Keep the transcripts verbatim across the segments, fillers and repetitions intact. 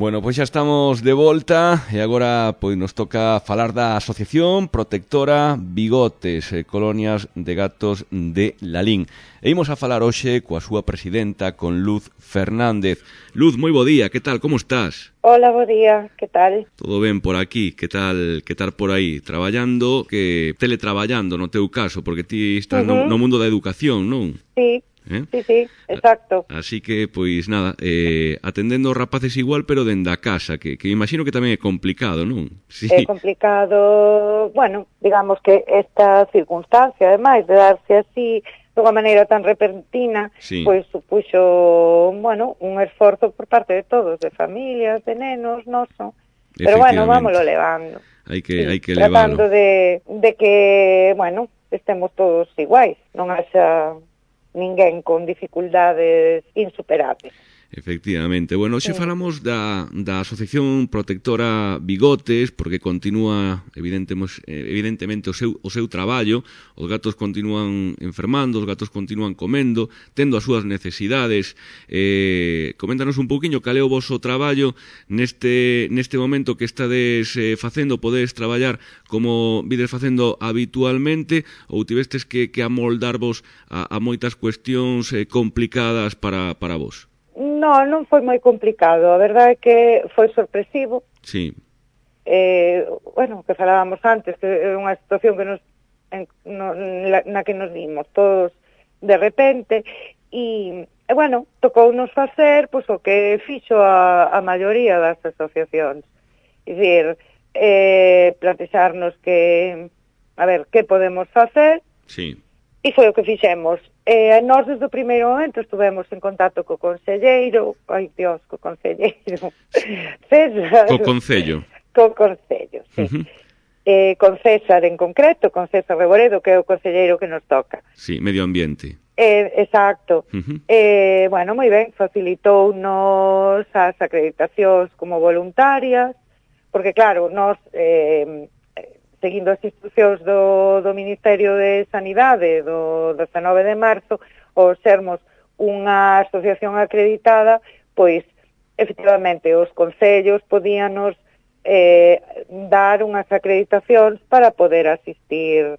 Bueno, pois xa estamos de volta e agora pois nos toca falar da Asociación Protectora Bigotes, eh, Colonias de Gatos de Lalín. E imos a falar hoxe coa súa presidenta, con Luz Fernández. Luz, moi bo día, que tal, como estás? Hola, bo día, que tal? Todo ben por aquí, que tal que tal por aí? Traballando, que teletraballando no teu caso, porque ti estás uh -huh. no, no mundo da educación, non? Sí. ¿Eh? Sí, sí, exacto. Así que, pois, nada, eh, atendendo aos rapaces igual, pero dende a casa, que, que imagino que tamén é complicado, non? Sí. É complicado, bueno, digamos que esta circunstancia, ademais, de darse así de unha maneira tan repentina, sí. Pois supuxo, bueno, un esforzo por parte de todos, de familias, de nenos, noso. Pero, bueno, vámoslo levando. Hai que, sí, hai que leválo. Tratando de, de que, bueno, estemos todos iguais, non haxa ninguén con dificultades insuperables. Efectivamente. Bueno, hoxe falamos da, da Asociación Protectora Bigotes, porque continúa evidentemente, evidentemente o seu, o seu traballo, os gatos continúan enfermando, os gatos continúan comendo, tendo as súas necesidades. Eh, coméntanos un pouquiño cal é o voso traballo neste, neste momento que estades eh, facendo, podedes traballar como vides facendo habitualmente ou tivestes que, que amoldarvos a, a moitas cuestións eh, complicadas para, para vos? No, non foi moi complicado, a verdade é que foi sorpresivo. Sí. Eh, bueno, que falábamos antes, que é unha situación que nos, en, no, na, na que nos vimos todos de repente, e, e bueno, tocounos facer pois, o que fixo a, a maioría das asociacións. É dicir, eh, plantexarnos que, a ver, que podemos facer, sí. E foi o que fixemos. Eh, nós, desde o primeiro momento, estuvemos en contacto co conselleiro, ai, Dios, co conselleiro, César. Co concello. Co concello, sí. Uh -huh. eh, con César en concreto, con César Reboredo, que é o conselleiro que nos toca. Sí, medio ambiente. Eh, exacto. Uh -huh. eh, bueno, moi ben, facilitounos as acreditacións como voluntarias, porque, claro, nós... Eh, seguindo as instruccións do, do Ministerio de Sanidade do dezanove de marzo, ou sermos unha asociación acreditada, pois, efectivamente, os concellos podíanos eh, dar unhas acreditacións para poder asistir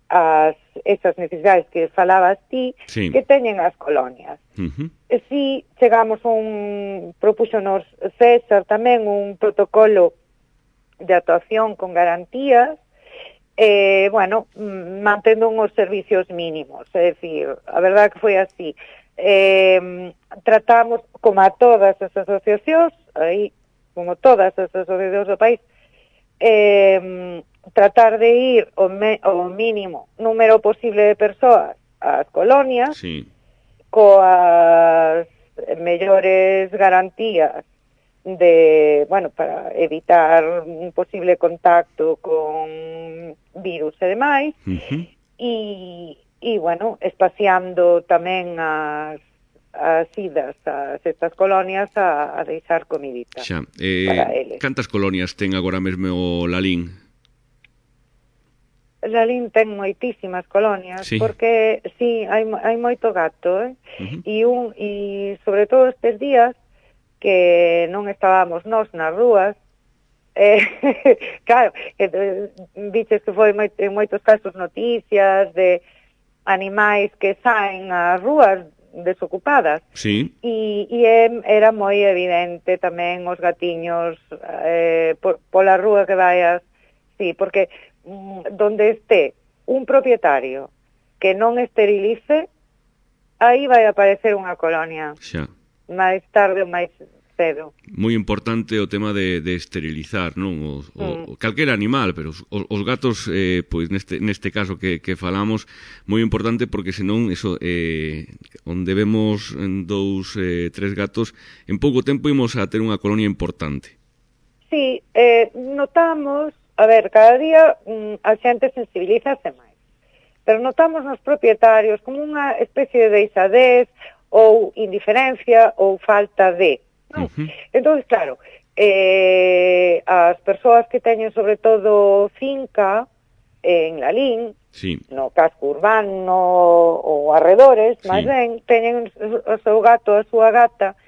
ás esas necesidades que falabas ti, sí. Que teñen as colonias. Uh -huh. E si chegamos a un, propúxonos César tamén un protocolo de actuación con garantías, Eh, bueno, mantendo uns servicios mínimos, é dicir, a verdade que foi así. Eh, tratamos, como a todas as asociacións, aí, como todas as asociacións do país, eh, tratar de ir o, me, o mínimo número posible de persoas ás colonias, sí. Coas mellores garantías de, bueno, para evitar un posible contacto con virus e demais, uh -huh. e, e, bueno, espaciando tamén as, as idas a estas colonias a, a deixar comidita xa. Eh, para eles. Cantas colonias ten agora mesmo o Lalín? Lalín ten moitísimas colonias, sí. Porque, sí, hai, hai moito gato, eh? Uh -huh. E, un, e sobre todo estes días, que non estábamos nós nas rúas, eh, claro, eh, viches que foi moi, en moitos casos noticias de animais que saen ás rúas desocupadas, sí. E, e era moi evidente tamén os gatiños eh, por, pola rúa que vayas, sí, porque mm, donde este un propietario que non esterilice, aí vai aparecer unha colonia. Xa. máis tarde ou máis cedo. Moi importante o tema de, de esterilizar, non? O, mm. o, calquera animal, pero os, os gatos, eh, pois neste, neste caso que, que falamos, moi importante porque senón, eso, eh, onde vemos en dous, eh, tres gatos, en pouco tempo imos a ter unha colonia importante. Sí, eh, notamos, a ver, cada día mm, a xente sensibilízase máis, pero notamos nos propietarios como unha especie de deixadez, ou indiferencia ou falta de, non? Uh -huh. Entón, claro, eh, as persoas que teñen sobre todo finca en Lalín, sí. No casco urbano ou arredores, sí. Máis ben, teñen o seu gato, a súa gata,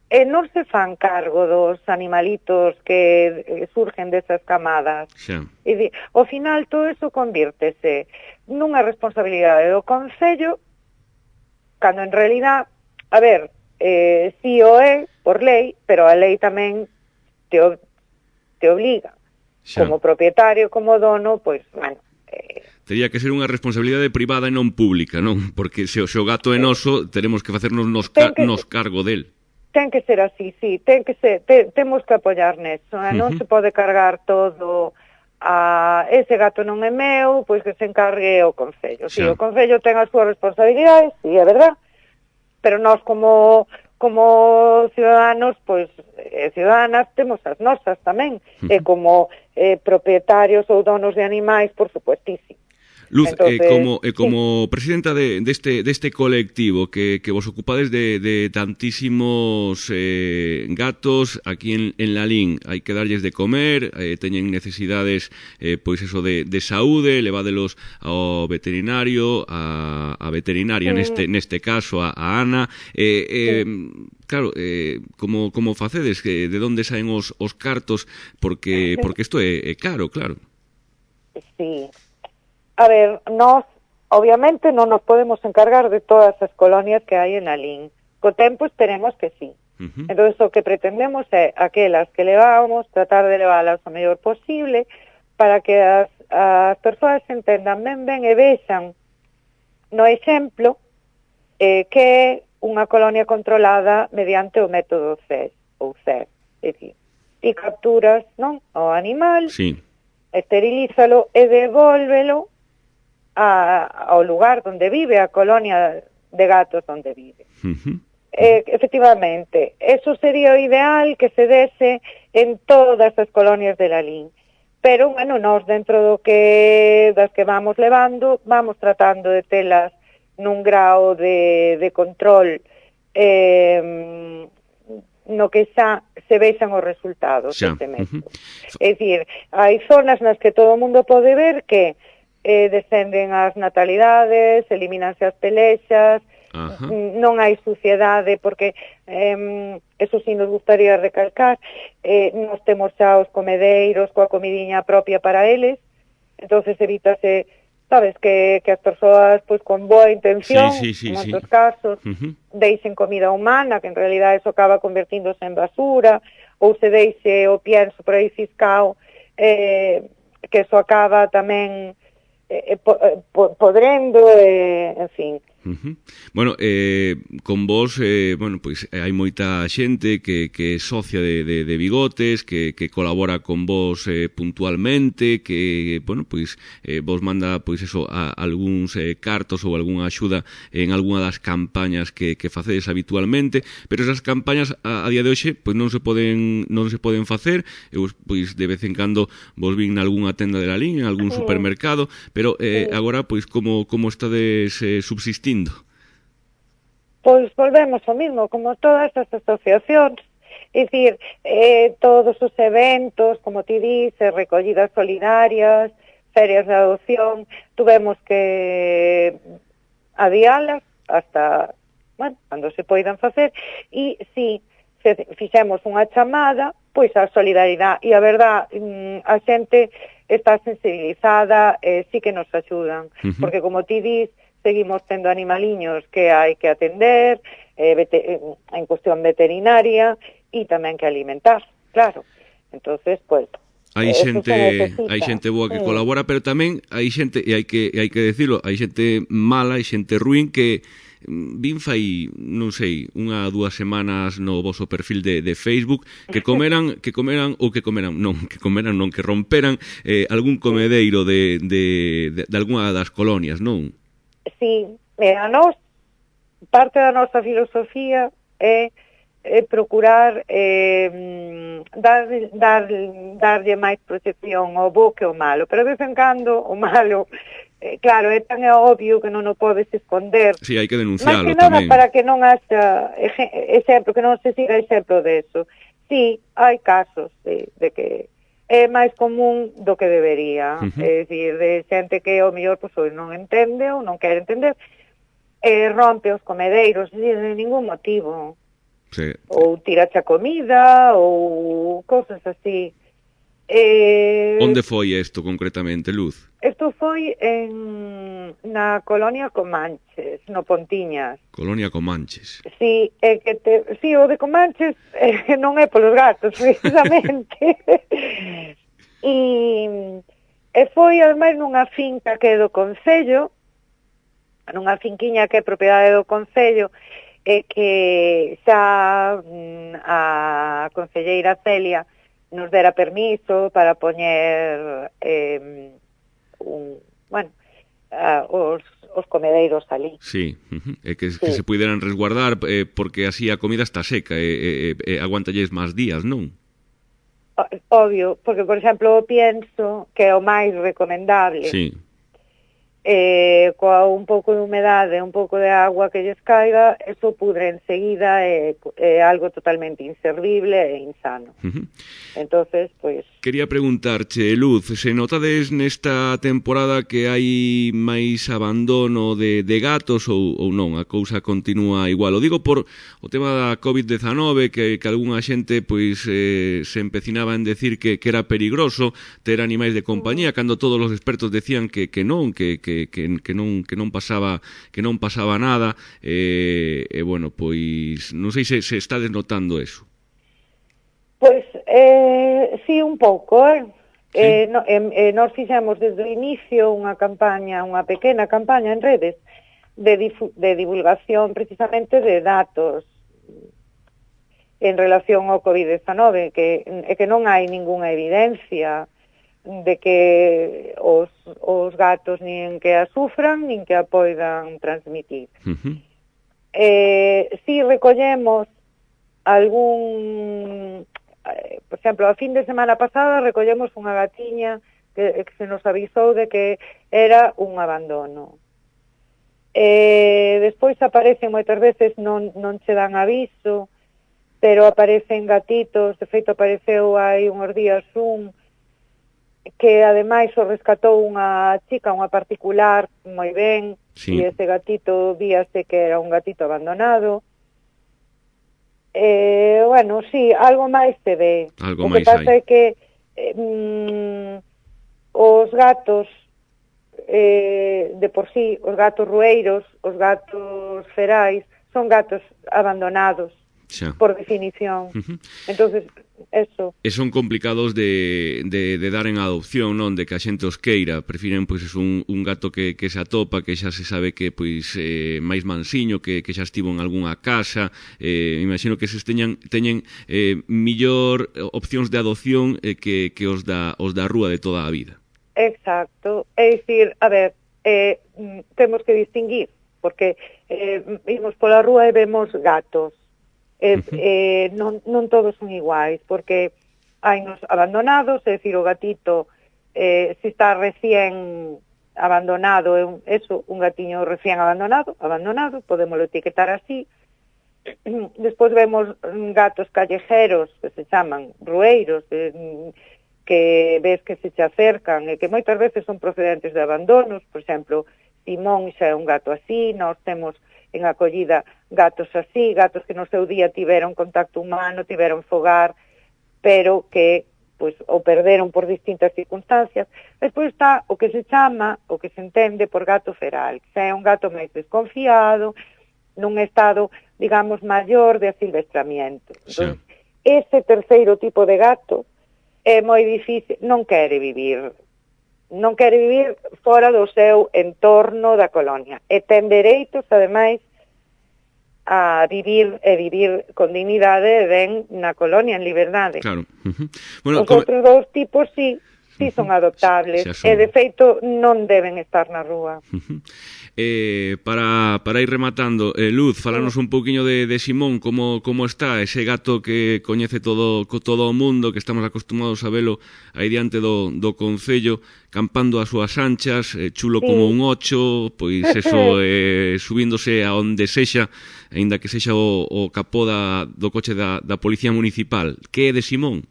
e non se fan cargo dos animalitos que surgen desas camadas. Xa. E di, ao final todo eso convírtese nunha responsabilidade do Concello, cando en realidad, a ver, eh, si o é por lei, pero a lei tamén te, te obliga, xa, como propietario, como dono, pois, bueno, eh, tería que ser unha responsabilidade privada e non pública, non? Porque se o gato é noso, teremos que facernos nos, ca que, nos cargo del. Ten que ser así, sí, ten que ser, te, temos que apoiar neso, eh? Non uh -huh. se pode cargar todo a ese gato non é meu, pois que se encargue o Concello. Si, sí, o Concello ten as súas responsabilidades, sí, é verdad, pero nós como como ciudadanos, pois, eh, ciudadanas, temos as nosas tamén, uh -huh. e como eh, propietarios ou donos de animais, por supuestísimo. Luz, entonces, eh, como, eh, como sí. presidenta de, de, este, de este colectivo que, que vos ocupades de, de tantísimos eh, gatos aquí en, en Lalín, hai que darlles de comer, eh, teñen necesidades eh, pois eso de, de saúde, levádelos ao veterinario, a, a veterinaria mm. neste, neste caso, a, a Ana, eh, eh, sí. Claro, eh, como, como facedes, que de onde saen os, os cartos, porque porque isto é, é caro, claro. Sí. A ver, nós, obviamente, non nos podemos encargar de todas as colonias que hai en Lalín. Co tempo esperemos que sí. Uh -huh. Entón, o que pretendemos é aquelas que levamos, tratar de leválas o mellor posible, para que as, as persoas entendan ben ben e vexan no exemplo eh, que é unha colonia controlada mediante o método C E S, ou C E S. É dicir, ti capturas, non, o animal, sí, esterilízalo e devólvelo A, ao lugar onde vive, a colonia de gatos onde vive. Uh-huh. eh, efectivamente, eso sería o ideal que se dese en todas as colonias de Lalín. Pero, bueno, nós dentro do que das que vamos levando, vamos tratando de telas nun grao de, de control eh, no que xa se vexan os resultados deste método. Uh-huh. É dicir, hai zonas nas que todo o mundo pode ver que Eh, descenden as natalidades, elimínanse as pelexas, uh-huh. non hai suciedade, porque eh, eso sí nos gustaría recalcar, eh, nos temos xa os comedeiros coa comidiña propia para eles, entonces evítase, sabes, que, que as persoas pois con boa intención, sí, sí, sí, en moitos sí. casos, uh-huh. deixen comida humana, que en realidad eso acaba convertíndose en basura, ou se deixe o pienso por aí fiscao, eh, que eso acaba tamén Eh, po, eh, podrendo, eh, en fin. Uh-huh. Bueno, eh, con vos, eh, bueno, pois hai moita xente que, que é socia de, de, de Bigotes, que, que colabora con vos eh, puntualmente, que, bueno, pois eh, vos manda, pois eso, a, algúns eh, cartos ou algunha axuda en algunha das campañas que, que facedes habitualmente, pero esas campañas a, a día de hoxe, pois non se poden non se poden facer. Eu, pois de vez en cando vos vin nalgúnha tenda de Lalín, en algún supermercado, pero eh, agora, pois como, como estades eh, subsistindo? Pois volvemos ao mismo, como todas as asociacións, é dicir, eh, todos os eventos, como ti dices, recollidas solidarias, ferias de adopción, tuvemos que adialas hasta, bueno, cando se poidan facer, e si se fixemos unha chamada, pois a solidaridade, e a verdad, a xente está sensibilizada, eh, sí que nos axudan, uh-huh. porque como ti dis, seguimos tendo animaliños que hai que atender, eh, vete, en cuestión veterinaria, e tamén que alimentar, claro. Entonces, pues, hai xente, hai xente boa que mm. colabora, pero tamén hai xente, e hai que e hai que decirlo, hai xente mala, hai xente ruín que vin fai, non sei, unha dúas semanas no voso perfil de, de Facebook que comeran, que comeran ou que comeran, non, que comeran non, que romperan eh, algún comedeiro de, de, de, de algunha das colonias, non? Sí, a nós, parte da nosa filosofía é, é procurar eh, dar, dar, darlle máis protección ao bo que ao malo, pero de vez en cando o malo, eh, claro, é tan obvio que non o podes esconder. Sí, hai que denunciarlo tamén. Máis que nada tamén. Para que non haxa exemplo, que non se siga exemplo de eso. Sí, hai casos de, de que é máis común do que debería, uh-huh. é dicir, de xente que ao mellor pois, non entende ou non quere entender, e rompe os comedeiros, de ningún motivo. Sí. Ou tirache a comida, ou cosas así. Eh, Onde foi isto concretamente, Luz? Isto foi en, na colonia Comanches, no Pontiñas. Colonia Comanches. Sí, é que te, sí, o de Comanches eh, non é polos gatos, precisamente. e, e foi, ademais, nunha finca que é do Concello, nunha finquiña que é propiedade do Concello, e que xa mm, a concelleira Celia nos dera permiso para poñer eh, un, bueno, uh, os, os comedeiros ali. Sí, uh-huh. e que, sí. que se puderan resguardar eh, porque así a comida está seca e eh, eh, eh, aguantalles máis días, non? Obvio, porque, por exemplo, pienso que é o máis recomendable. Sí. Eh, coa un pouco de humedade, un pouco de agua que lles caiga, eso pudre enseguida, é, é algo totalmente inservible e insano. Uh-huh. Entonces, pois... Quería preguntarche, Luz, se notades nesta temporada que hai máis abandono de, de gatos ou, ou non? A cousa continúa igual. O digo por o tema da covid dezenove, que, que algunha xente pois eh, se empecinaba en decir que, que era perigroso ter animais de compañía, cando todos os expertos decían que, que non, que, que, que, que non que non pasaba que non pasaba nada. E, e bueno, pois non sei se, se estades notando eso. Pois, eh, sí, un pouco, eh? Sí. Eh, no, eh, eh, nós fixemos desde o inicio unha campaña, unha pequena campaña en redes de, difu de divulgación precisamente de datos en relación ao covid dezenove, que, é que non hai ningunha evidencia de que os, os gatos nin que a sufran, nin que a poidan transmitir. Uh-huh. Eh, si recollemos algún... Por exemplo, a fin de semana pasada recollemos unha gatiña que, que se nos avisou de que era un abandono. Eh, despois aparecen moitas veces, non, non che dan aviso, pero aparecen gatitos, de feito apareceu hai unhos días un que ademais o rescatou unha chica, unha particular, moi ben, sí. E ese gatito víase que era un gatito abandonado. Eh, bueno, sí, algo máis se ve. Algo o que máis pasa hai. é que eh, mm, os gatos eh, de por sí, os gatos rueiros, os gatos ferais, son gatos abandonados, xa. Por definición. Uh-huh. Entonces, eso. E son complicados de, de, de dar en adopción, non? De que a xente os queira. Prefiren, pois, un, un gato que, que se atopa, que xa se sabe que, pois, eh, máis mansiño, que, que xa estivo en algunha casa. Eh, imagino que se teñan, teñen eh, millor opcións de adopción eh, que, que os, da, os da rúa de toda a vida. Exacto. É dicir, a ver, eh, temos que distinguir, porque eh, vimos pola rúa e vemos gatos. Eh, eh, non, non todos son iguais, porque hai nos abandonados, é dicir, o gatito eh, se está recién abandonado, é un, eso, un gatiño recién abandonado, abandonado, podemos etiquetar así. Despois vemos gatos callejeros, que se chaman rueiros, eh, que ves que se che acercan e que moitas veces son procedentes de abandonos. Por exemplo, Simón xa é un gato así, nós temos en acollida gatos así, gatos que no seu día tiveron contacto humano, tiveron fogar, pero que pois o perderon por distintas circunstancias. Despois está o que se chama, o que se entende por gato feral, que é un gato máis desconfiado, nun estado, digamos, maior de asilvestramiento. Entón, ese terceiro tipo de gato é moi difícil, non quere vivir non quere vivir fora do seu entorno da colonia. E ten dereitos, ademais, a vivir e vivir con dignidade e ben na colonia, en liberdade. Claro. Uh-huh. Bueno, os come... outros dous tipos, sí, sí son adoptables. Son... E, de feito, non deben estar na rúa. Uh-huh. Eh, para, para ir rematando, eh, Luz, falanos un pouquiño de, de Simón, como, como está ese gato que coñece todo, todo o mundo, que estamos acostumados a velo aí diante do, do Concello, campando as súas anchas, eh, chulo sí. Como un ocho, pois eso, eh, subíndose a onde sexa, aínda que sexa o, o capó da, do coche da, da Policía Municipal. Que é de Simón?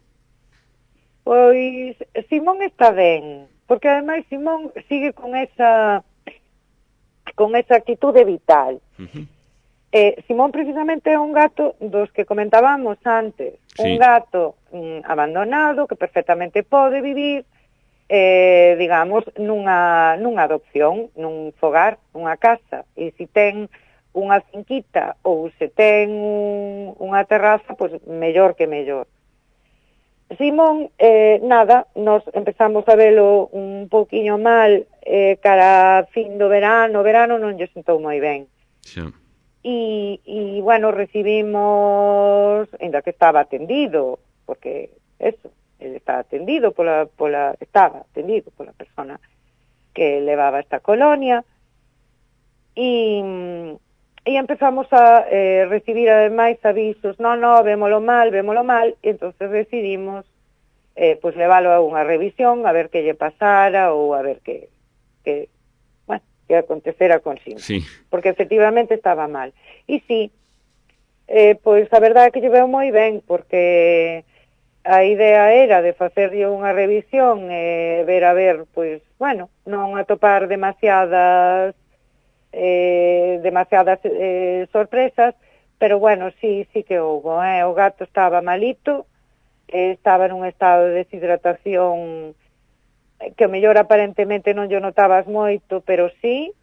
Pois Simón está ben, porque ademais Simón sigue con esa con esa actitude vital. Uh-huh. Eh, Simón precisamente é un gato dos que comentábamos antes, sí. Un gato mm, abandonado que perfectamente pode vivir, eh, digamos, nunha, nunha adopción, nun fogar, nunha casa, e se ten unha finquita ou se ten un, unha terraza, pois mellor que mellor. Simón, eh, nada, nos empezamos a velo un poquinho mal eh, cara fin do verano, o verano non lle sentou moi ben. Xa. E, e, bueno, recibimos, ainda que estaba atendido, porque eso, ele estaba atendido pola, pola, estaba atendido pola persona que levaba esta colonia, e, e empezamos a eh, recibir ademais avisos, no, no, vémolo mal, vémolo mal, e entonces decidimos eh, pues leválo a unha revisión, a ver que lle pasara, ou a ver que, que que acontecera con Simón, sí. Porque efectivamente estaba mal. E sí, eh, pois a verdade é que lle veo moi ben, porque a idea era de facerlle unha revisión e eh, ver a ver, pois, bueno, non atopar demasiadas eh, demasiadas eh, sorpresas, pero bueno, sí, sí que houbo, eh? O gato estaba malito, eh, estaba nun estado de deshidratación que o mellor aparentemente non yo notabas moito, pero sí,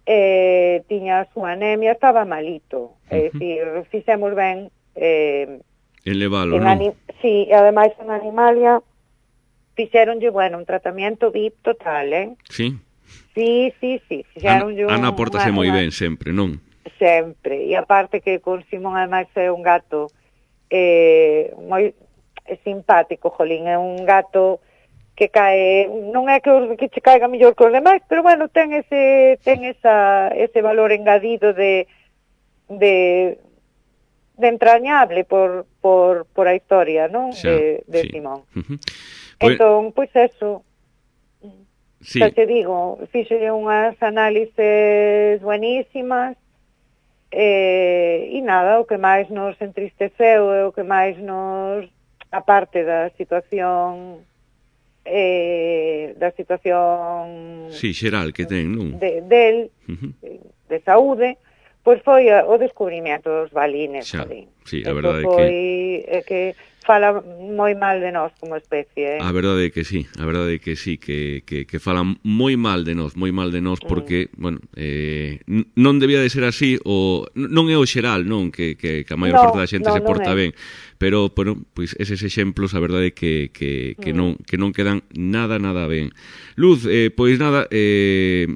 eh, tiña a súa anemia, estaba malito. Uh-huh. É dicir, fixemos ben... Eh, elevalo, non? Sí, e ademais en Animalia fixeronlle, bueno, un tratamento V I P total, eh? Sí? Sí, sí, sí. Ana, Ana portase moi ben sempre, non? Sempre, e aparte que con Simón ademais é un gato eh, moi simpático, jolín, é un gato que cae, non é que, que che caiga mellor que os demais, pero bueno, ten ese ten esa ese valor engadido de de de entrañable por por por a historia, non? Xa, de de sí. Simón. Uh-huh. Pues, entón, pois pues eso. Sí. Xa te digo, fíxolle unhas análises buenísimas, eh, e nada, o que máis nos entristeceu e o que máis nos, aparte da situación eh, da situación sí, xeral que ten, non? De, del, uh-huh. de saúde, pois foi a, o descubrimento dos balines. Xa, ali. sí, a verdade é foi, que... É que fala moi mal de nós como especie. Eh? A verdade é que sí, a verdade é que sí, que, que, que falan moi mal de nós, moi mal de nós, porque, mm. bueno, eh, non debía de ser así, o non é o xeral, non, que, que, que a maior no, parte da xente no, se porta ben, pero, bueno, pois eses exemplos, a verdade é que, que, que, mm. non, que non quedan nada, nada ben. Luz, eh, pois nada, eh,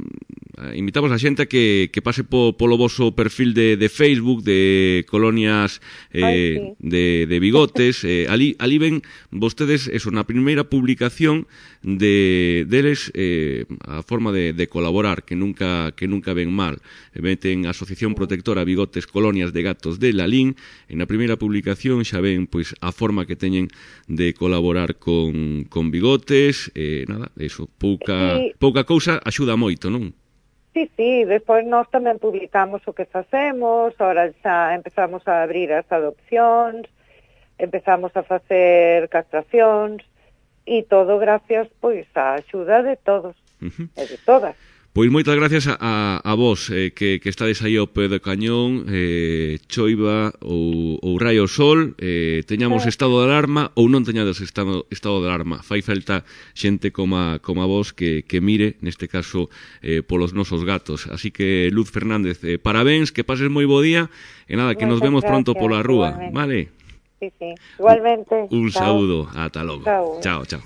invitamos a xente a que, que pase po, polo voso perfil de, de Facebook, de Colonias eh, Ay, sí. de, de Bigotes, eh, ali, ali ven vostedes, eso, na primeira publicación de deles eh, a forma de, de colaborar, que nunca que nunca ven mal. Meten a Asociación Protectora Bigotes Colonias de Gatos de Lalín, e na primeira publicación xa ven pois a forma que teñen de colaborar con, con Bigotes, eh, nada, eso, pouca, sí. pouca cousa axuda moito, non? Sí, sí, despois nós tamén publicamos o que facemos, ahora xa empezamos a abrir as adopcións, empezamos a facer castracións, e todo gracias, pois, á axuda de todos, uh-huh. e de todas. Pois moitas gracias a, a, a vos eh, que, que estades aí ao pé do cañón, eh, choiva ou, ou raio sol, eh, teñamos estado de alarma ou non teñades estado, estado de alarma. Fai falta xente como a, como a vos que, que mire, neste caso, eh, polos nosos gatos. Así que, Luz Fernández, eh, parabéns, que pases moi bo día, e nada, que nos vemos pronto pola rúa, vale? Sí, sí, igualmente. Un, un saúdo, ata logo. Chao, chao. chao.